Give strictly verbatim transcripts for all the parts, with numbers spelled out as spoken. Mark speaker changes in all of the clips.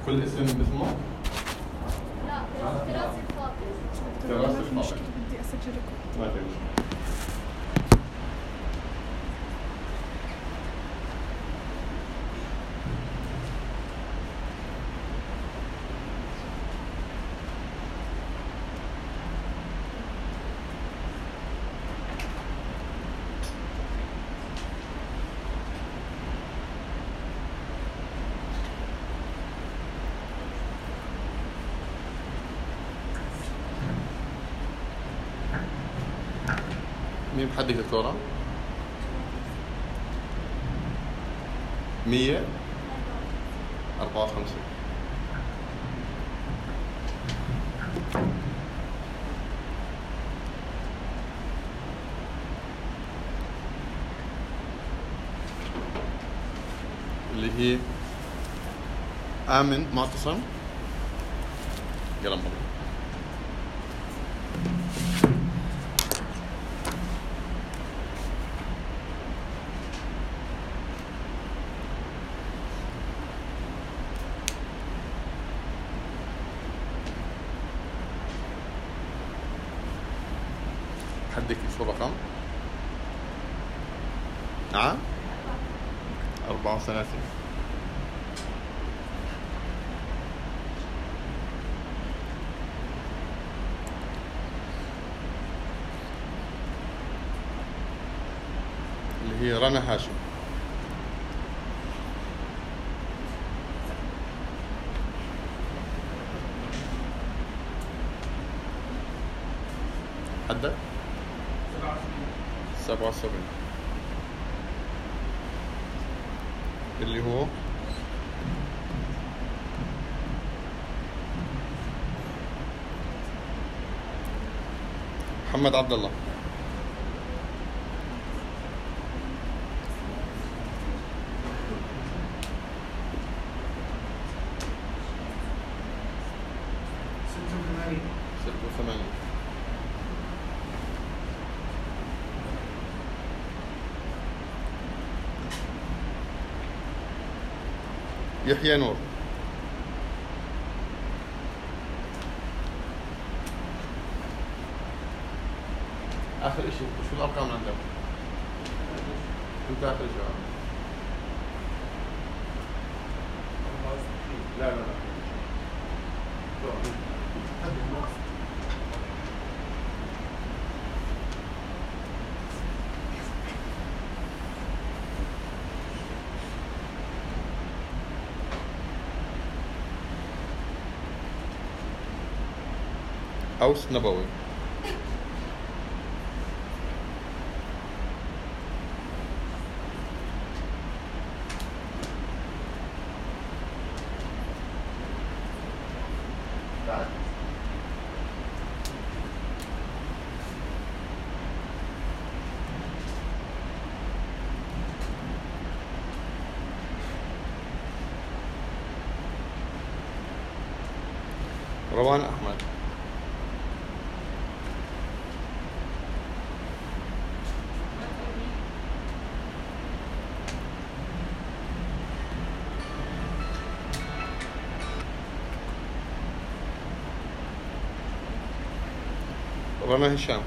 Speaker 1: كل اسم باسمه؟
Speaker 2: لا دراسة فاضل.
Speaker 1: دراسة فاضل.
Speaker 3: بدي اسجل ريكورد.
Speaker 1: ما في مشكلة. مين بحدك دكتورة؟ مية أربعة وخمسين. اللي هي آمن معتصم قلم بابا. حدك شو الرقم؟ نعم؟ أربعة وثلاثين. اللي هي رنا هاشم. حدك؟ سبعة وسبعين. اللي هو محمد عبد الله. ستة وثمانين. يحيى نور. آخر إشي شو الأرقام عندك؟ أنت آخر إشي. لا لا لا. أوس نبوي. روان أحمد. رنا هشام.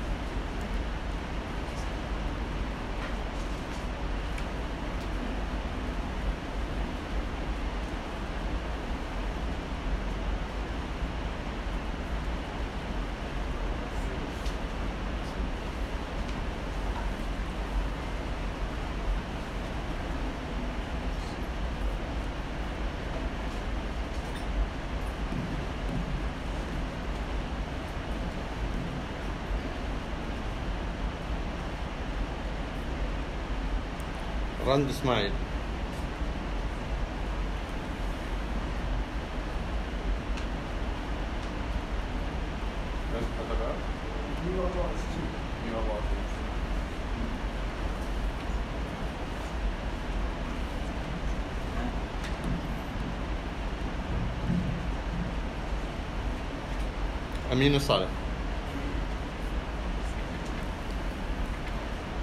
Speaker 1: رند اسماعيل. أمين وصالح.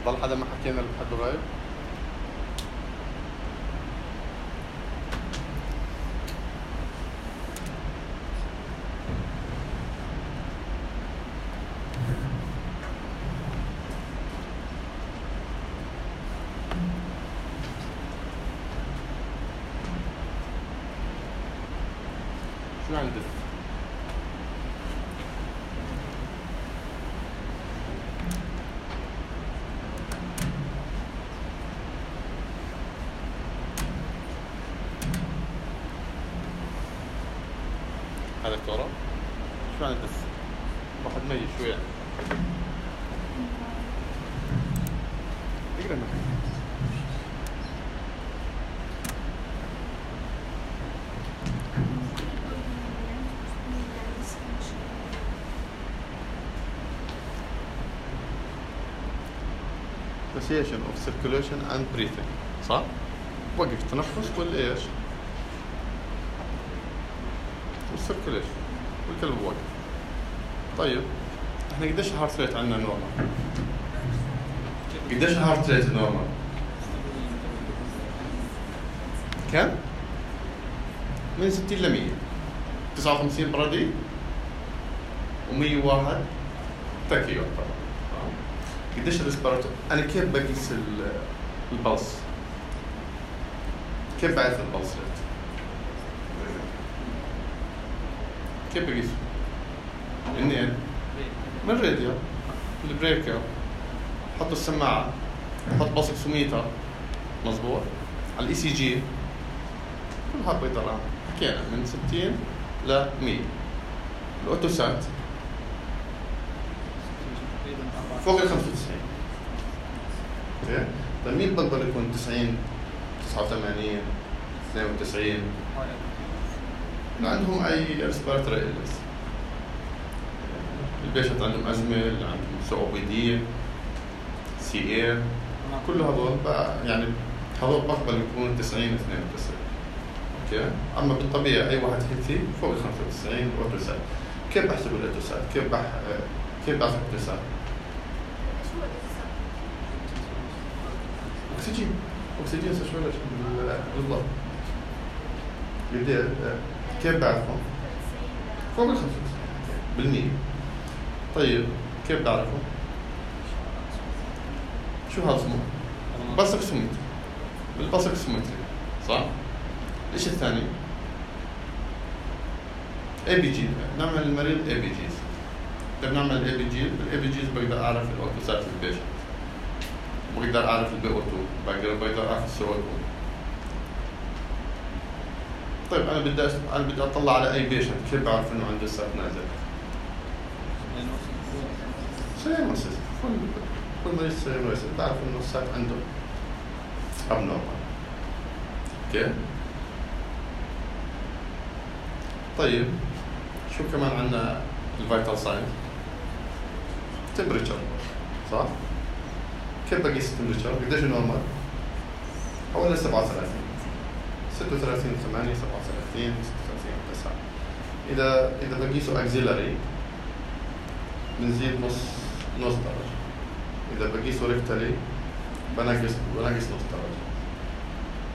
Speaker 1: ضل حدا ما حكينا اللي بحده غايب؟ شو يعني دف؟ هذا دكتورة؟ شو يعني دف؟ واحد ميت شو يعني؟ اقرا معي. Association of circulation and breathing صح؟ وقف تنفس ولا ايش؟ والسيركوليشن والكلب وقف. طيب احنا قديش هارت ريت عندنا نورمال؟ قديش هارت ريت نورمال؟ كم؟ من ستين ل مية. تسعة وخمسين برادي ومية وواحد تاكيو طبعا. قديش الريسبيراتور؟ انا كيف بقيس البلس؟ كيف بعرف البلس ريت؟ كيف بقيسه؟ منين؟ من الراديو البريكر. حط السماعة، حط بلسكسوميتر مظبوط على الاي سي جي، كل هذا بيطلع حكينا من ستين ل مية. الاوتوسات فوق ال خمسة وتسعين. اوكي؟ طيب مين بقدر يكون تسعين، تسعة وثمانين، اثنين وتسعين؟ عندهم اي ريسبيراتوري إلنس. البيشنت عندهم ازمه، اللي عندهم سي او بي دي، سي اي، كل هذول يعني هذول بقبل يكونوا تسعين اثنين وتسعين. اوكي؟ اما بالطبيعه اي واحد هيلثي فوق ال خمسة وتسعين اوتوسات. كيف بحسب الاوتوسات؟ كيف بح كيف بعرف الاوتوسات؟
Speaker 2: شو الاوتوسات؟
Speaker 1: اكسجين اكسجين ساتوريشن بالضبط. قد كيف بعرفه؟ فوق ال خمسة وتسعين بالمية. طيب كيف بعرفه؟ شو هذا اسمه؟ بلسكسومتري. بالبلسكسومتري صح؟ الشيء الثاني اي بي جي، نعمل المريض اي بي جيز. كيف نعمل اي بي جي؟ بالاي بي جيز بقدر اعرف الاوتوسات البيشنت، بقدر اعرف البي او اثنين، بقدر بقدر اعرف السي او اثنين. طيب انا بدي انا بدي اطلع على اي بيشنت، كيف بعرف انه عنده السات نازل؟ سينوسيس. كل مريض سينوسيس بعرف انه السات عنده ابنورمال. اوكي؟ طيب شو كمان عندنا الفيتال ساين؟ تمبريتشر صح؟ كيف بقيس التمبريتشر؟ قديش نورمال؟ حوالي سبعة وثلاثين، ستة وثلاثين ثمانية، سبعة وثلاثين، ستة وثلاثين تسعة. إذا إذا بقيسه أكزيلاري بنزيد نص نص درجة. إذا بقيسه ريكتالي بنقص بنقص نص درجة.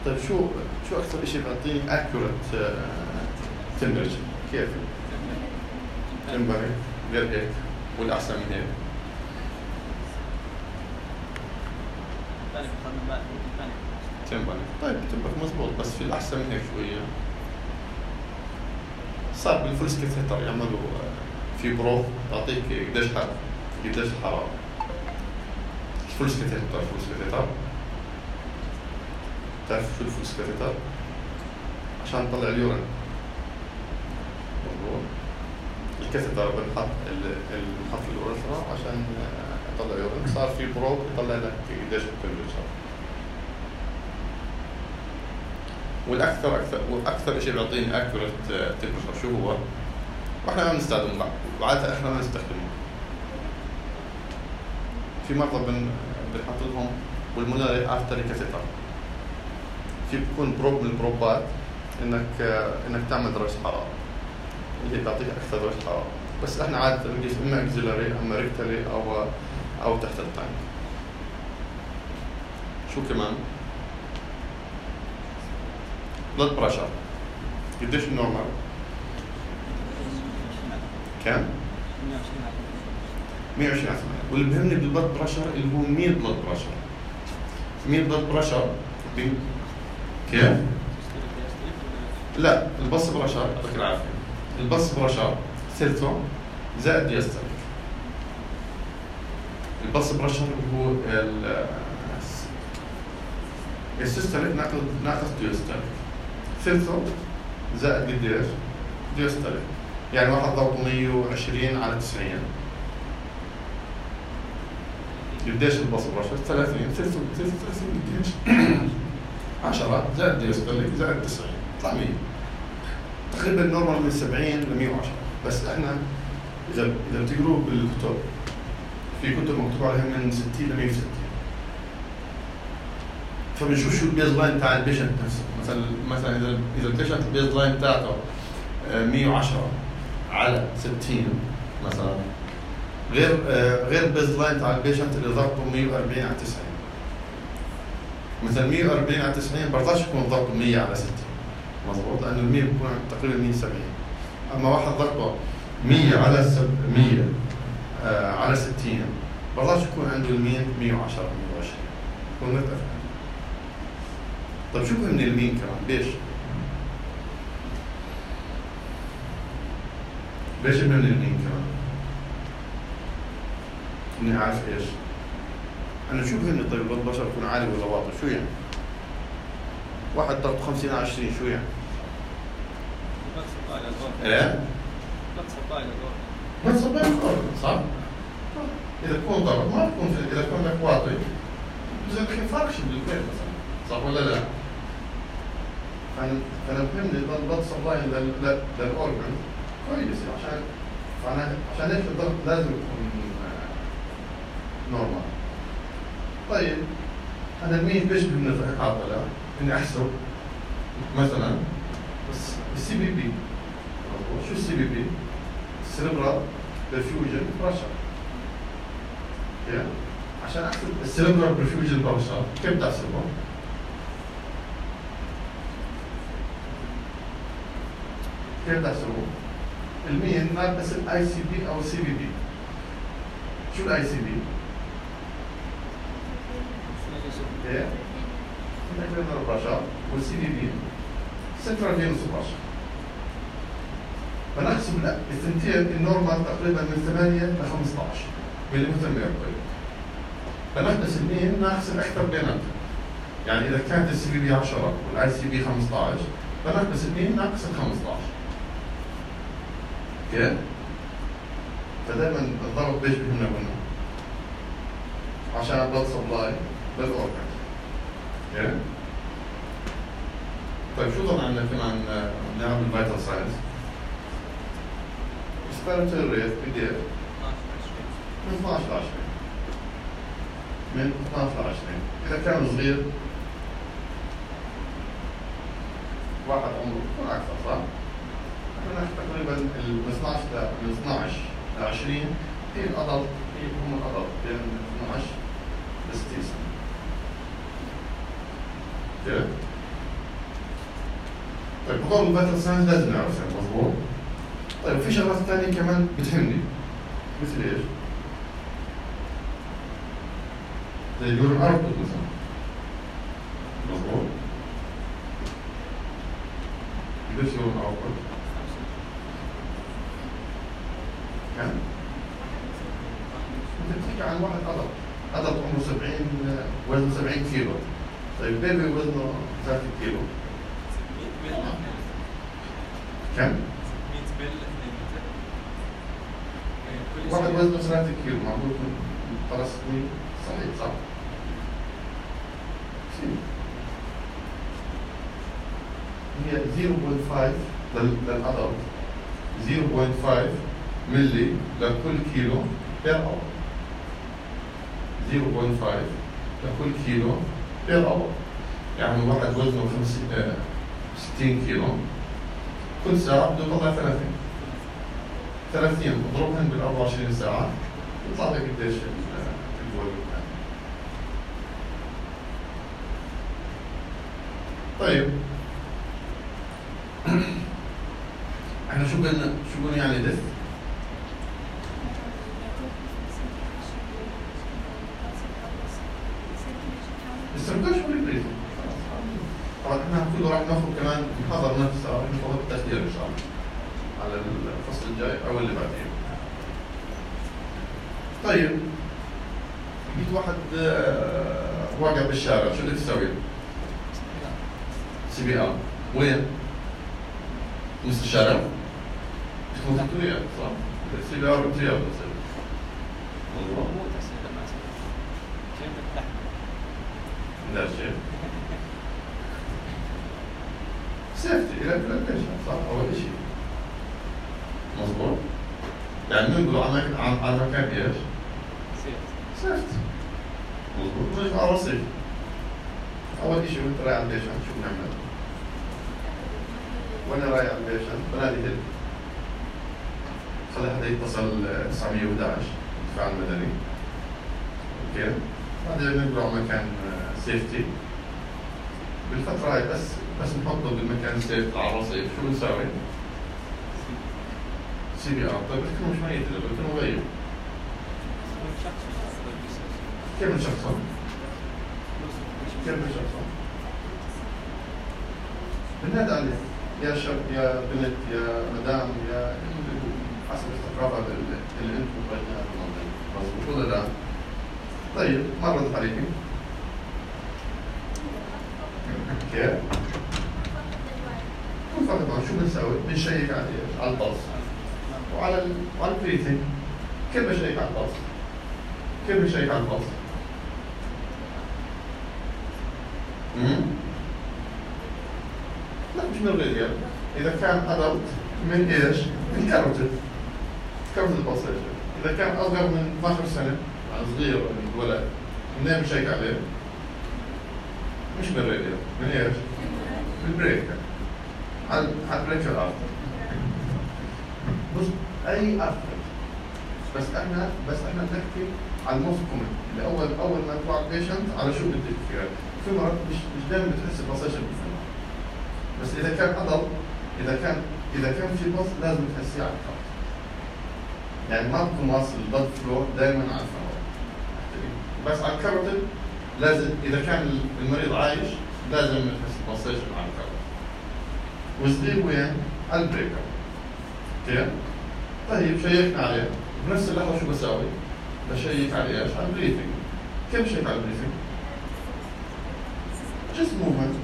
Speaker 1: طيب شو شو أكثر شيء بيعطيني accurate temperature؟ كيف؟ تمبري غير هيك والأحسن من هيك. تمبري طيب تمبري مزبوط، بس في الأحسن من هيك شوية. صار بالفلس كثيتر يعملوا في بروف تعطيك قديش حرارة قديش الحرارة. الفلس كثيتر بتعرف الفلس كثيتر؟ بتعرف شو الفلس كثيتر؟ عشان نطلع اليورين. مظبوط. الكثيتر بنحط بنحط اليوريثرا عشان يطلع يورين. صار في بروب يطلع لك قديش التمبريتشر. والاكثر اكثر واكثر شيء بيعطيني اكيوريت تمبريتشر شو هو؟ واحنا ما بنستخدمه بعد، وعادة احنا ما بنستخدمه. في مرضى بن بنحط لهم بالمونري ارتري كاثيتر. في بيكون بروب من البروبات انك انك تعمل درجة حرارة اللي هي بتعطيك اكثر درجة حرارة، بس احنا عادة بنقيس اما اكزيلاري اما ريكتالي او او تحت التانك. شو كمان؟ بلد بريشر قديش النورمال؟ كم؟ مية وعشرين على ثمانية. واللي بهمني بالبلد بريشر اللي هو ميل بلد بريشر. ميل بلد بريشر كيف؟ لا البلس بريشر يعطيك العافية. البلس برشر ثلثه زائد ديستاليك. البلس برشر هو ال السيستوليك ناقص ناقص ديستاليك، ثلثه زائد قديش؟ ديستاليك. يعني واحد ضغطه مية وعشرين على تسعين. قديش البلس برشر؟ ثلاثين. ثلثه ثلث ثلاثين قديش؟ عشرة زائد ديستاليك زائد تسعين يطلع مية. تقريبا نورمال من سبعين ل مية وعشرة. بس احنا اذا اذا بتقروه بالكتب في كتب مكتوب عليها من ستين ل مية وستين. فبنشوف شو البيز لاين تاع البيشنت نفسه. مثلا مثلا اذا اذا البيشنت البيز لاين تاعته مية وعشرة على ستين مثلا، غير غير البيز لاين تاع البيشنت اللي ضغطه مية وأربعين على تسعين. مثلا مية وأربعين على تسعين برضاش يكون ضغطه مية على ستين، مضبوط، لانه ال مية بيكون تقريبا مية وسبعين. اما واحد ضغطه مية على مية آه على ستين برضاش يكون عنده المين مية وعشرة مية وعشرين، يكون مرتفع. طيب شو من المين كمان؟ ليش؟ ليش من المين كمان؟ اني عارف ايش؟ انا شو بهمني طيب البلد بشر يكون عالي ولا واطي؟ شو يعني؟ واحد ضغط خمسين على عشرين شو يعني؟ ايه؟
Speaker 4: ما تصباي للغرب.
Speaker 1: ما تصباي للغرب، صح؟ اذا تكون ضغط ما تكون في، اذا كون لك واطي بزن لك فرقش بالبيت مثلا، صح ولا لا؟ فانا فانا بهمني البلد سبلاي للاورجن كويس، عشان فانا عشان هيك الضغط لازم يكون نورمال. طيب انا مين بيشبه من العضله اني احسب مثلا بس السي بي بي. شو السي بي بي؟ السيربرال برفيوجن برشر. عشان احسب السيربرال برفيوجن برشر كيف تحسبه؟ كيف تحسبه؟ المين ناقص الاي سي بي او السي بي بي. شو الاي سي بي؟ ايه؟ انترنال برشر، والسي بي بي سنترال فينوس برشر. فنحسب الثنتين النورمال تقريبا من ثمانية ل خمسة عشر مليمتر ميركوري. فنحدث المين نحسب اكثر بيناتهم. يعني اذا كانت السي بي بي عشرة والاي سي بي خمسة عشر فنحدث المين ناقص ال خمسة عشر. اوكي؟ فدائما الضغط بيش بهمنا هنا عشان البلد سبلاي للاورجن. اوكي؟ طيب شو ضل عندنا كمان نعمل فيتال ساينس؟ respiratory rate قديش؟ من اثناعش ل عشرين. من اثناعش ل عشرين. إذا كان صغير واحد عمره يكون أكثر، صح؟ احنا نحكي تقريبا من اثناعش من اثناعش ل عشرين هي الأدلت، هي هم الأدلت بين اثناعش ل ستين سنة. اوكي؟ طيب هذول الفيتال ساينس لازم نعرفها، مضبوط؟ طيب في شغلات ثانية كمان بتهمني، مثل ايش؟ زي اليورين اوتبوت مثلا. مضبوط؟ قديش يورين اوتبوت؟ كم؟ انت بتحكي عن واحد أدلت، أدلت عمره سبعين، وزنه سبعين كيلو. طيب بيبي وزنه ثلاثين كيلو. كم؟ واحد وزنه ثلاثين كيلو معقول يكون خلاص صحيح، صح؟ شيء هي صفر فاصلة خمسة للأدلت، صفر فاصلة خمسة ملي لكل كيلو بير اور. صفر فاصلة خمسة لكل كيلو بير اور. يعني واحد وزنه ستين كيلو كل ساعة بده يطلع ثلاثين. ثلاثين اضربهم بال أربعة وعشرين ساعة يطلع لك قديش الجول. طيب احنا شو قلنا شو قلنا يعني دث؟ السيركوش والبريزم. طبعا احنا كله راح ناخذ كمان محاضرة نفسها وناخذ التخدير ان شاء الله على الفصل الجاي او اللي بعديه. طيب جيت واحد آه، واقع بالشارع، شو بدك تسوي؟ سي بي ار. وين؟ نص الشارع؟ مش موجود وياه صح؟ سي بي ار بالرياض بتصير. مضبوط؟
Speaker 4: مو تحسين لما اسمع شيء بالتحت.
Speaker 1: لا شيء. سيفتي إلى البلانتيشن صح؟ أول شيء. مضبوط؟ يعني ننقل على مكان على مكان ايش؟ سيفتي. مضبوط؟ نجي على الرصيف. أول شيء وأنت رايح على البيشن شو بنعمل؟ وأنا رايح على البيشن بنادي هيل. خلي حدا يتصل تسعمية وإحدى عشر الدفاع المدني. اوكي؟ بعدين ننقل على مكان سيفتي. بالفترة هاي بس بس نحطه بالمكان سيفتي على الرصيف، شو بنساوي؟ سي بي ار. طيب بتكون مش ميت اذا بتكون مغيب. كيف بنشخصه؟ كيف بنشخصه؟ بننادي عليه يا شاب يا بنت يا مدام يا حسب الثقافة اللي انتم متوجهين بالمنطقة، مضبوط ولا لا؟ طيب ما ردت عليكي؟ كيف؟ كل فترة شو بنسوي؟ بنشيك على ايش؟ على البلس وعلى ال... وعلى البريثنج. كيف بشيك على البلس؟ كيف بشيك على البلس؟ امم لا مش من الراديال. إذا كان أدلت من إيش؟ من كاروتيد. كاروتيد البلسيشن. إذا كان أصغر من اثناشر سنة، يعني صغير من الولد، منين بشيك عليه؟ مش من الراديال. من إيش؟ من البريك. على على البريك الأرثر. بص أي أرثر. بس إحنا بس إحنا نحكي على الموست كومن اللي أول أول ما تروح على البيشنت على شو بدك فيها. في مرات مش مش دائما بتحس البلسيشن بالفم. بس إذا كان أضل إذا كان إذا كان في بلس لازم تحسيه على الكارت. يعني ما بكون واصل البلد فلو دائما على الفم. بس على الكاروتيد لازم إذا كان المريض عايش لازم تحس البلسيشن على الكاروتيد. وصغير وين؟ على البريكر. اوكي؟ طيب شيكنا عليه، بنفس اللحظة شو بساوي؟ بشيك على ايش؟ على البريثنج. كيف بشيك على البريثنج؟ جست موفمنت.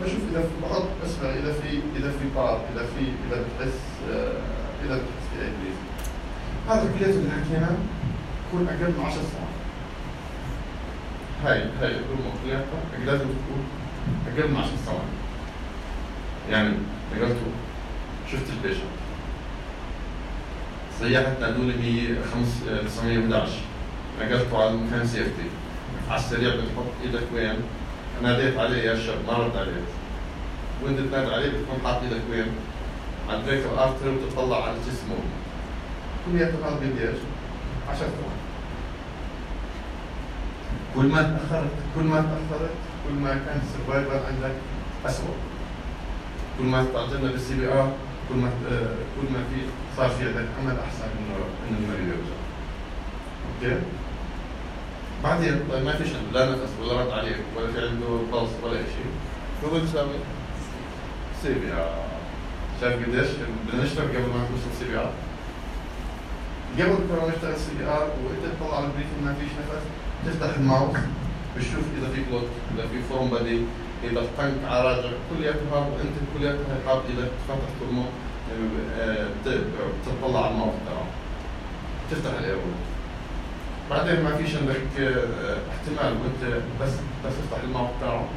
Speaker 1: بشوف إذا في بحط اسمع إذا في إذا في بار، إذا في إذا بتحس آه إذا بتحس في أي بريثنج. هذا الكليت اللي حكينا يكون أقل من عشر ثواني. هاي هاي الأمور كلياتها لازم تكون أقل من عشر ثواني. يعني نقلته شفت البيشنت سيحت نادولي هي تسعمية وإحدى عشر نقلته على مكان سيفتي على السريع بتحط ايدك وين؟ ناديت عليه يا شاب ما رد عليك وانت تنادي عليه بتكون حاط ايدك وين؟ على البريك الارتري وتطلع على جسمه كلياته هذا بدي ايش؟ عشر ثواني. كل ما تاخرت كل ما تاخرت كل ما كان السرفايفر عندك اسوء. كل ما استعجلنا بالسي بي ار كل ما كل ما في صار في عندك امل احسن انه انه المريض يرجع. اوكي؟ بعدين طيب ما فيش عنده لا نفس ولا رد عليك ولا في عنده بلس ولا شيء. شو بدي اسوي؟ سي بي ار. شايف قديش بدنا نشتغل قبل ما نوصل سي بي ار؟ قبل كنا نشتغل سي بي ار وانت تطلع على البريفنج ما فيش نفس تفتح الماوس بتشوف اذا في كلوت اذا في فورم بدي إذا الطنك عراجع كلياتها وأنت كلياتها حاط إذا فتح ترمو بتطلع على الموقع تبعه تفتح الأول. بعدين ما فيش عندك احتمال وأنت بس بس تفتح الموقع تبعه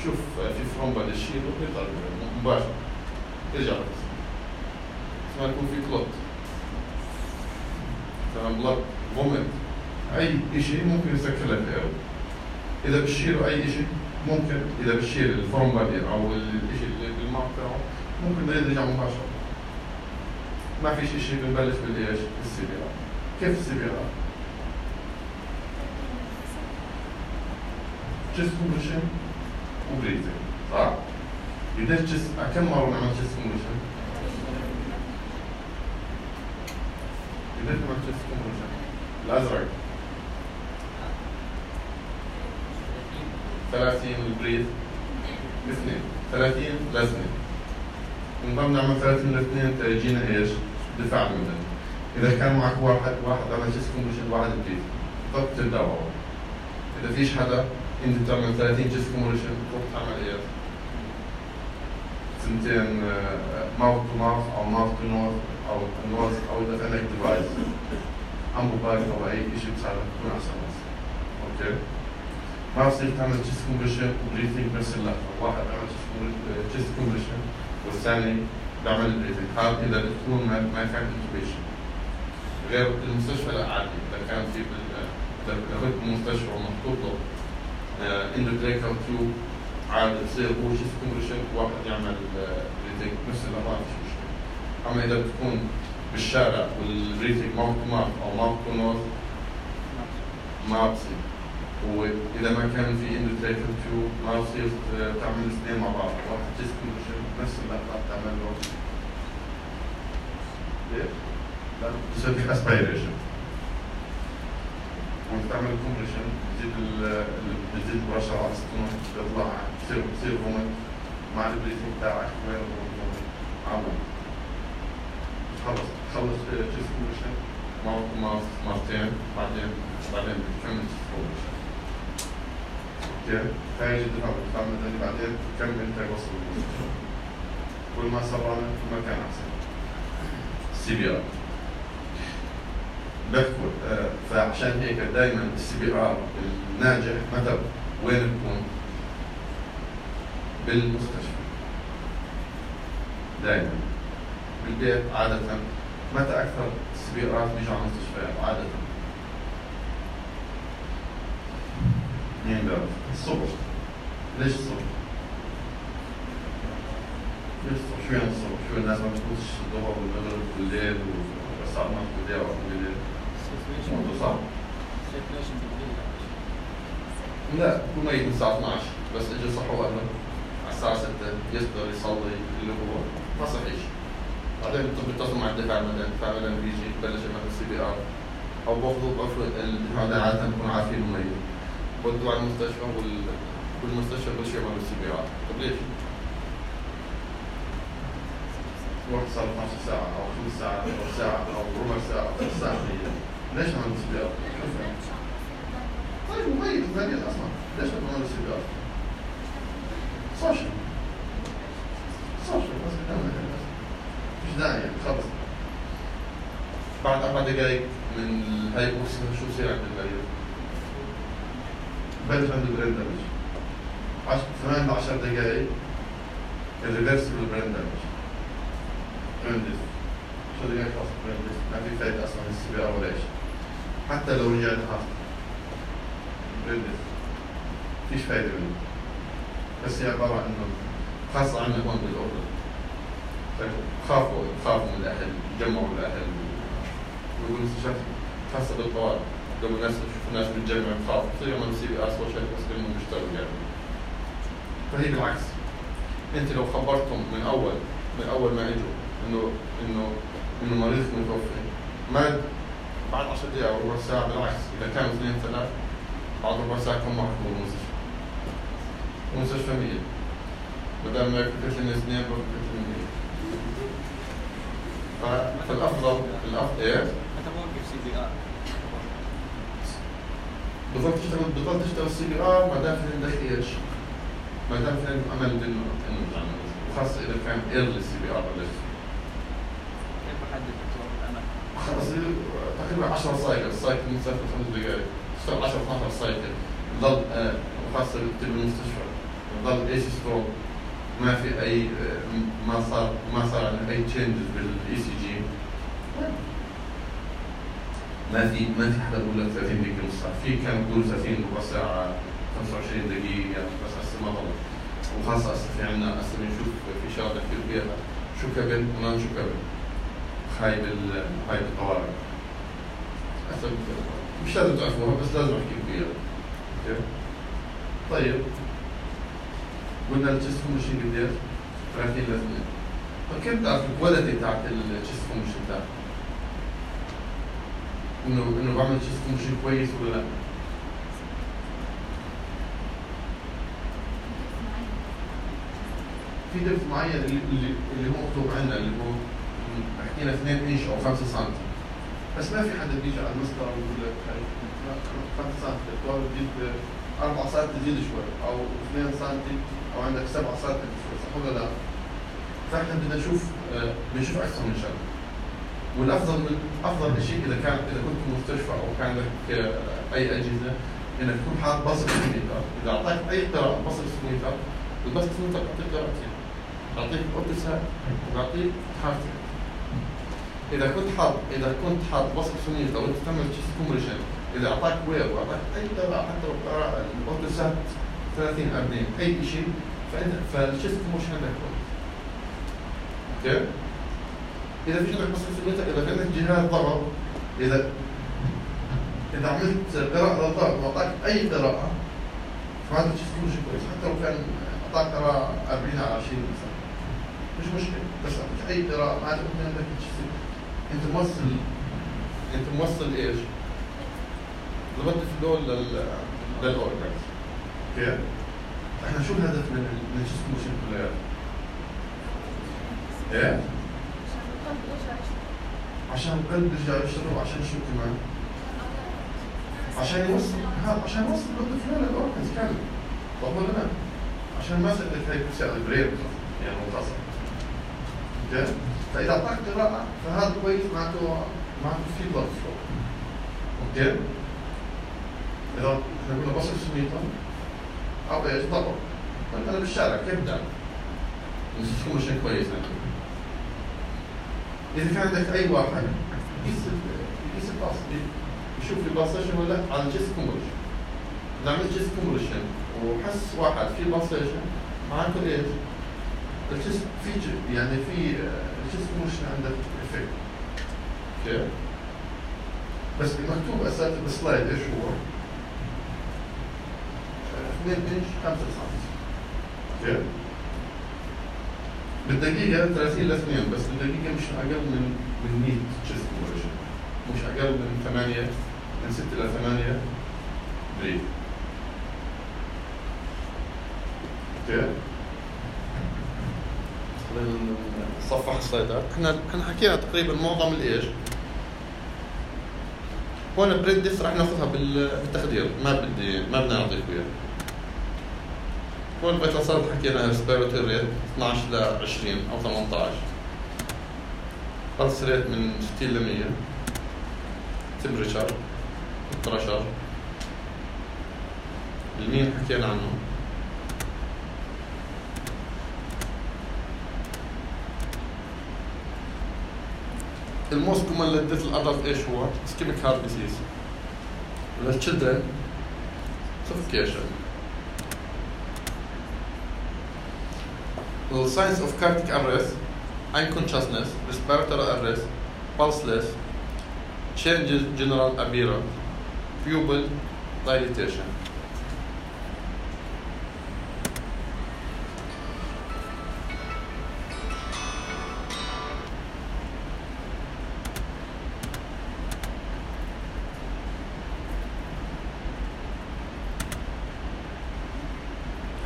Speaker 1: شوف في فروم بدي تشيله ويطلع مباشرة ترجع بس ما يكون في كلوت تمام بلاد فوميت أي شيء ممكن يسكر لك الأول. إذا بتشيله أي شيء ممكن إذا بتشيل الفورم بادي أو الشيء اللي بالماء تبعه ممكن ده يرجع مباشرة. ما فيش شيء بنبلش بالإيش؟ بالسي بي آر. كيف السي بي آر؟ chest compression وبريثنج صح؟ قديش chest كم مرة نعمل chest compression؟ قديش نعمل chest compression؟ الأزرق ثلاثين البريث اثنين ثلاثين لازمة ونضل نعمل ثلاثين لاثنين تيجينا ايش؟ دفاع المدني. إذا كان معك واحد واحد عمل تشيست كومبريشن واحد بريث ضل تتداوى. إذا فيش حدا أنت بتعمل ثلاثين تشيست كومبريشن تروح تعمل ايش؟ سنتين ماوث تو ماوث أو ماوث تو نوز أو نوز أو إذا عندك ديفايس أمبو باك أو أي شيء بتساعدك تكون أحسن ناس. أوكي؟ ما بصير تعمل تشيست كومبريشن وبريثنج بنفس اللحظة، واحد بيعمل تشيست كومبريشن والثاني بيعمل بريثنج، هذا إذا بتكون ما ما كان انتوبيشن. غير المستشفى لا عادي، إذا كان في إذا كنت بالمستشفى ومحطوط له اندوتريكال تيوب عادي بصير هو تشيست كومبريشن وواحد يعمل بريثنج نفس اللحظة ما فيش مشكلة. أما إذا بتكون بالشارع والبريثنج ماوث تو ماوث أو ماوث تو نوز ما بصير. وإذا ما كان في اندوتريكال تيوب ما بصير تعمل الاثنين مع بعض، واحد تشيست كومبريشن نفس اللحظة تعمل له ليش؟ لا بتصير اسبيريشن. وانت تعمل كومبريشن بتزيد ال بتزيد البرشر على السطوح بيطلع بصير بصير فومت مع البريثنج تاعك وين الفومت عمل. خلص خلص تشيست كومبريشن ماوث ماوث مرتين بعدين بعدين بتكمل تشيست كومبريشن. اوكي؟ هاي جدا حلوة بتعمل اللي بعدين بتكمل توصل المستشفى. كل ما صبرنا كل ما كان احسن. سي بي ار بحكوا آه فعشان هيك دائما السي بي ار الناجح متى وين بكون؟ بالمستشفى. دائما بالبيت عادة متى أكثر السي بي ارات بيجوا على المستشفيات عادة؟ مين بيعرف؟ الصبح. ليش الصبح؟ ليش الصبح؟ شو يعني الصبح؟ شو الناس ما بتقولش الظهر والمغرب والليل والساعة اثناشر بالليل أو بالليل؟ موضوع صعب. لا هو ميت من الساعة اثناشر بس اجى صحوا قبل على الساعة ستة يقدر يصلي اللي هو ما صحيش. بعدين بيتصلوا مع الدفاع المدني، الدفاع المدني بيجي ببلش يعمل سي بي ار أو بياخذوا بفرض هذا عادة بكون عارفين الميت. بدوا على المستشفى وال والمستشفى بلش يعملوا سي بي ار. طيب ليش؟ واحد صار اثناشر ساعة أو خمس ساعات أو ساعة أو ربع ساعة أو ثلاث ساعات ليش ما عملوا سي بي ار؟ طيب مميز مميز أصلا ليش ما عملوا سي بي ار؟ سوشيال سوشيال بس بدنا مش داعي خلص. بعد أربع دقايق من هاي الأكسجين شو بصير عند المريض؟ بلش عنده برين دامج. عشر ثمان لعشر دقايق الريفرسبل برين دامج. برندس شو دقايق خلاص برندس ما في فايدة أصلا من السي بي ار ولا شيء. حتى لو رجعت خلاص برندس فيش فايدة منه. بس هي عبارة إنه خاصة عنا هون بالأردن. خافوا خافوا من الأهل، جمعوا الأهل ويقولوا شخص خاصة بالطوارئ. لما الناس يشوفوا الناس بتجمع خاف بصير يعملوا سي بي ار سوشيال بس لانهم بيشتغلوا يعني. فهي بالعكس. انت لو خبرتهم من اول من اول ما اجوا انه انه انه مريض متوفي ما بعد عشر دقائق او ربع ساعة بالعكس اذا كانوا اثنين ثلاث بعد ربع ساعة كم واحد بالمستشفى. المستشفى مية. بدل ما يكون كتلة اثنين بكون كتلة مية. فالافضل الافضل ايه؟
Speaker 4: متى بوقف سي بي ار؟
Speaker 1: بضل تشتغل بضل تشتغل سي بي ار ما دام في عندك ايش؟ ما دام في عندك امل انه انه تعمل وخاصة اذا كان ايرلي سي بي ار ولا شيء.
Speaker 4: كيف بحدد دكتور الامل؟
Speaker 1: خلص تقريبا عشرة سايكل، السايكل مسافة خمس دقائق، تشتغل عشرة اثناشر سايكل، بضل آه وخاصة بالمستشفى، بضل ايش ستروك، ما في اي ما صار ما صار عندنا اي تشينجز بالاي سي جي. ما في ما في حدا بقول لك ثلاثين دقيقة نص ساعة، في كانوا بيقولوا ثلاثين ربع ساعة خمسة وعشرين دقيقة بس هسه ما ضل. وخاصة هسه في عندنا هسه بنشوف في شغلة كثير كبيرة شو كبل وما شو كبل. هاي بال هاي بالطوارئ. هسه مش لازم تعرفوها بس لازم احكي فيها. اوكي؟ طيب قلنا التشيست كومبريشن قديش؟ ثلاثين لاثنين. فكيف بتعرف الكواليتي تاعت التشيست كومبريشن تاعك؟ انه انه بعمل تشيست كومبريشن كويس ولا لا؟ في دبس معين اللي اللي, اللي هو مكتوب عندنا اللي هو حكينا اثنين انش او خمسة سنتي، بس ما في حدا بيجي على المسطره ويقول لك خمسة سنتي الدكتور بتجيب أربعة سنتي تزيد شوي او اثنين سنتي او عندك سبعة سنتي شوي، صح ولا لا؟ فاحنا بدنا نشوف آه بنشوف اكثر من شغله. والافضل من افضل شيء اذا كان اذا كنت في مستشفى او كان لك آه اي اجهزه انك تكون حاط بصر سميتر، اذا اعطاك اي قراءه بصر سميتر البصر سميتر بيعطيك قراءتين، بيعطيك اوتوسات وبيعطيك حركه. اذا كنت حاط اذا كنت حاط بصر سميتر وانت تعمل تشيست كومبريشن، اذا اعطاك وير واعطاك اي قراءه حتى لو قراءه الاوتوسات ثلاثين أربعين اي شيء، فانت فالتشيست كومبريشن عندك كويس. اوكي؟ اذا في عندك بصر سميتر، اذا في عندك جهاز ضغط، اذا إذا عملت قراءة للضغط وأعطاك أي قراءة فهذا الشيء كله شيء كويس، حتى لو كان أعطاك قراءة أربعين على عشرين مثلا مش مشكلة، بس أعطيك أي قراءة معناته أنت عندك شيء أنت موصل أنت موصل إيش؟ ضبطت الفلو لل للأورجانز. أوكي؟ إحنا شو الهدف من من الشيء كله كلياته؟ إيه؟ عشان القلب يرجع يشتغل، وعشان شو كمان؟ عشان يوصل هذا عشان يوصل ضد فلان الأورجنز كامل، صح ولا لا؟ عشان ما سألت هيك بتساعد البرير يعني متصل. اوكي؟ فإذا أعطاك قراءة فهذا كويس، معناته معناته في بلد فلو. اوكي؟ إذا احنا قلنا بصر سميتر أو ايش ضبط، فأنت أنا بالشارع كيف بدأ؟ نسيتكم شيء كويس يعني. إذا كان عندك أي واحد يقيس يقيس الباص، يشوف الباسيشن ولا على الجيست كومبريشن. إذا عملت جيست كومبريشن وحس واحد في باسيشن معناته ايش؟ الجيست في يعني في الجيست كومبريشن عندك افكت. اوكي؟ بس المكتوب اساسا بالسلايد ايش هو؟ اثنين انش خمسة سنتي. اوكي؟ بالدقيقة ثلاثين ل اثنين، بس بالدقيقة مش أقل من من مية جيست كومبريشن. مش أقل من ثمانية، من ستة إلى ثمانية بريد. اوكي؟ خلينا نصفح السلايدات. احنا احنا حكينا تقريبا معظم الايش؟ هون البريد ديس راح ناخذها بالتخدير، ما بدي ما بدنا نعطيك اياه. هون الفيتال سايد حكينا ريسبيراتوري ريت اثنعش ل عشرين او ثمانية عشر. بلس ريت من ستين ل مية. تمبريتشر بريشر. المين حكينا عنه. الموست كومن للديث الادلت ايش هو؟ اسكيميك هارت ديزيز. للتشيلدرن سفوكيشن. The signs of cardiac arrest, unconsciousness, respiratory arrest, pulseless, changes general appearance, pupil dilatation.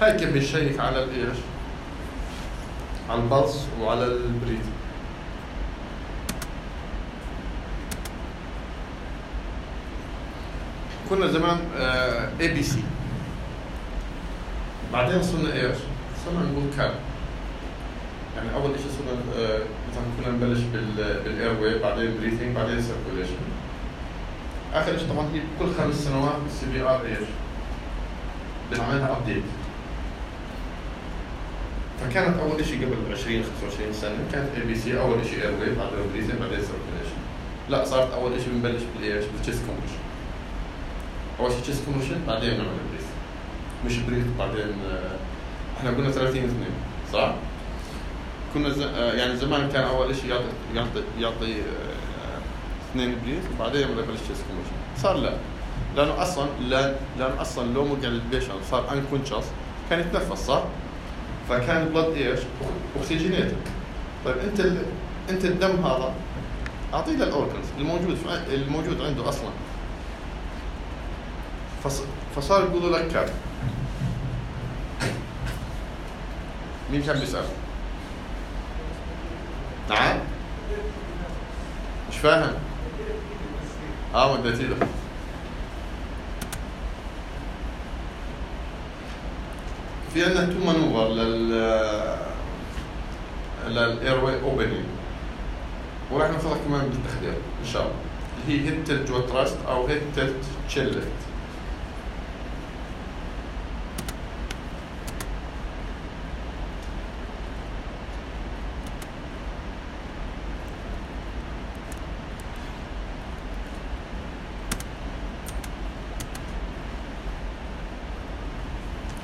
Speaker 1: هاي كيف بنشيك على الايش؟ على البلس وعلى البريد. كنا زمان اي بي سي، بعدين صرنا ايش؟ صرنا نقول كاب. يعني اول شيء صرنا آه مثلا كنا نبلش بالاير واي، بعدين بريثنج، بعدين سيركوليشن. اخر شيء طبعا هي كل خمس سنوات السي بي ار ايش؟ بنعملها ابديت. فكانت اول شيء قبل عشرين خمسة وعشرين سنه كانت اي بي سي، اول شيء اير واي، بعدين بريثنج، بعدين سيركوليشن. لا، صارت اول شيء بنبلش بالايش؟ بالتشيست كومبريشن. اول شيء تشيست كومبريشن، بعدين بنعمل بريث. مش بريث بعدين آه احنا قلنا ثلاثين اثنين، صح؟ كنا ز... آه يعني زمان كان اول شيء يعطي يعطي يعطي آه اثنين بريث وبعدين بنبلش تشيست كومبريشن. صار لا، لانه اصلا لا لانه اصلا لو وقع البيشنت صار انكونشس كان يتنفس، صح؟ فكان البلد ايش؟ اكسجينيتد. طيب انت ال... انت الدم هذا اعطيه للاورجنز الموجود في... الموجود عنده اصلا. فص... فصار يقولوا لك كاب. مين كان بيسأل؟ نعم؟ مش فاهم؟ اه مدتي له. في عندنا تو مانوفر لل للاير واي اوبننج وراح نفرق كمان بالتخدير ان شاء الله اللي هي هيد تلت جوا تراست او هيد تلت تشيل ليفت.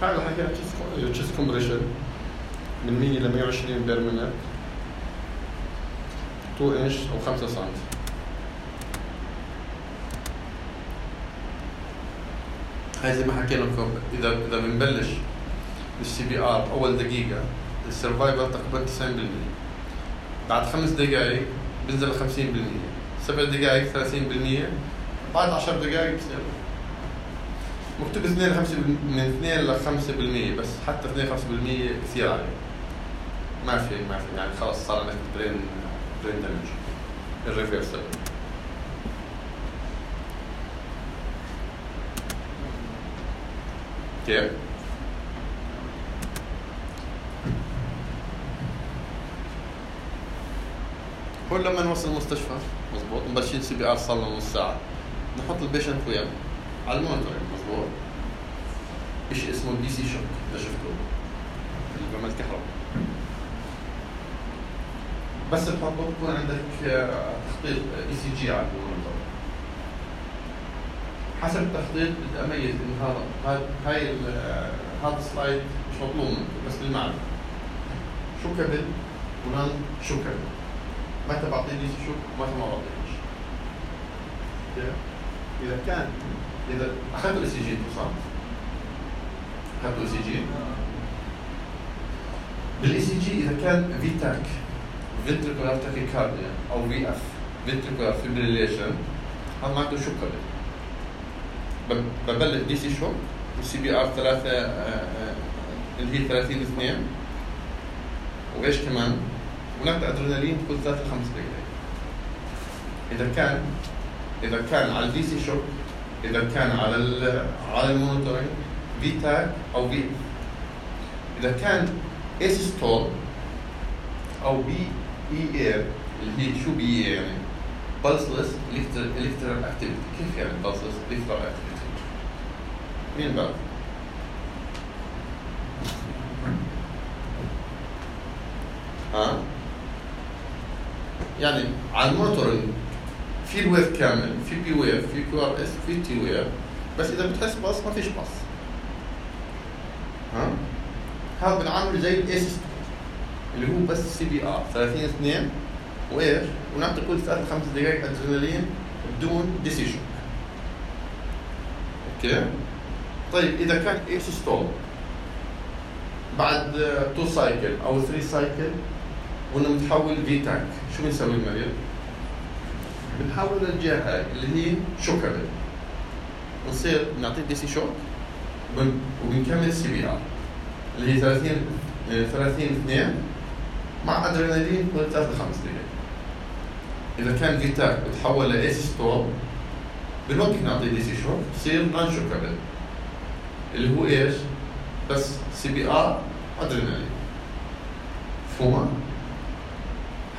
Speaker 1: هاي اللي حكينا تشيست كومبريشن من مية ل مية وعشرين بير مينت اثنين انش او خمسة سم. هاي زي ما حكينا لكم اذا اذا بنبلش السي بي ار اول دقيقه السرفايفل تقريبا تسعين بالمية، بعد خمس دقائق بنزل خمسين بالمية، سبع دقائق ثلاثين بالمية، بعد عشر دقائق بصير مكتوب اثنين خمسة من اثنين ل خمسة بالمية بس حتى اثنين خمسة بالمية كثير عليه. ما في ما في يعني خلاص صار عندك برين برين دامج الريفرسل. كيف؟ هو لما نوصل المستشفى مضبوط مبلشين سي بي ار صار لنا نص ساعة نحط البيشنت وياه على المونيتورنج مضبوط. شيء اسمه دي سي شوك اذا شفتوه اللي بيعمل كهرباء. بس تحطه بكون عندك تخطيط اي سي جي على المونيتور. حسب التخطيط بدي اميز انه هذا هاي هذا السلايد مش مطلوب منك بس بالمعنى شو كبل ونان شو كبل. متى بعطيه دي سي شوك ومتى ما بعطيهش. اذا كان اذا اخذت الاي سي جي اتصال اخذت الاي سي جي بالاي سي جي اذا كان في تاك فنتريكولار تاكيكارديا او في اف فنتريكولار فيبريليشن هذا معناته شو قبل. ببلش دي سي شوك والسي بي ار ثلاثة اللي هي ثلاثين اثنين وايش كمان ونبدا ادرينالين كل ثلاث لخمس دقائق. اذا كان اذا كان على الدي سي شوك اذا كان على على المونيتورنج في تاك او في اذا كان اسيستول او بي اي اير اللي هي شو بي اي يعني pulseless electrical activity. كيف يعني pulseless electrical activity؟ مين بقى؟ ها؟ يعني على المونيتورنج في الويف كامل، في بي ويف، في كيو ار اس، في تي ويف، بس اذا بتحس باص ما فيش باص. ها؟ هذا بنعامله زي الاس اللي هو بس سي بي ار ثلاثين اثنين وايش؟ ونعطي كل ثلاث خمس دقائق ادرينالين بدون دي سي شوك. اوكي؟ طيب اذا كان ايش ستول بعد تو سايكل او ثري سايكل وانه متحول في تاك، شو بنسوي المريض؟ بنحول للجهه هاي اللي هي شوكابل ونصير نعطيه دي سي شوك وبنكمل سي بي ار اللي هي ثلاثين ثلاثين اثنين مع ادرينالين كل ثلاث لخمس دقائق. اذا كان في تاك بتحول لايس ستول بنوقف نعطيه دي سي شوك بصير نون شوكابل اللي هو ايش؟ بس سي بي ار ادرينالين. مفهومه؟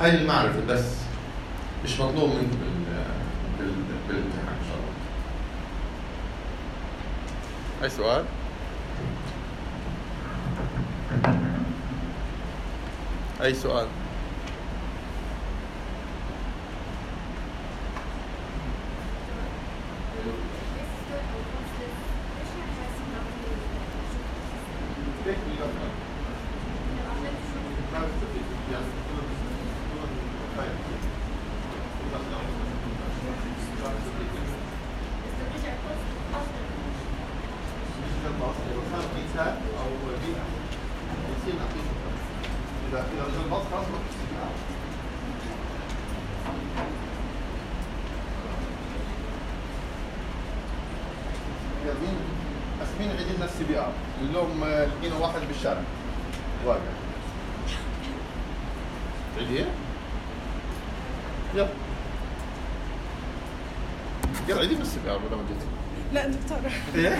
Speaker 1: هاي المعرفه بس مش مطلوب منك بال بال بالامتحان ان شاء الله. اي سؤال؟ اي سؤال؟ اليوم لقينا واحد بالشارع واقع هي؟ يلا يلا عيدي بس السي بي ار بدل ما جيتي.
Speaker 3: لا دكتور.
Speaker 1: ايه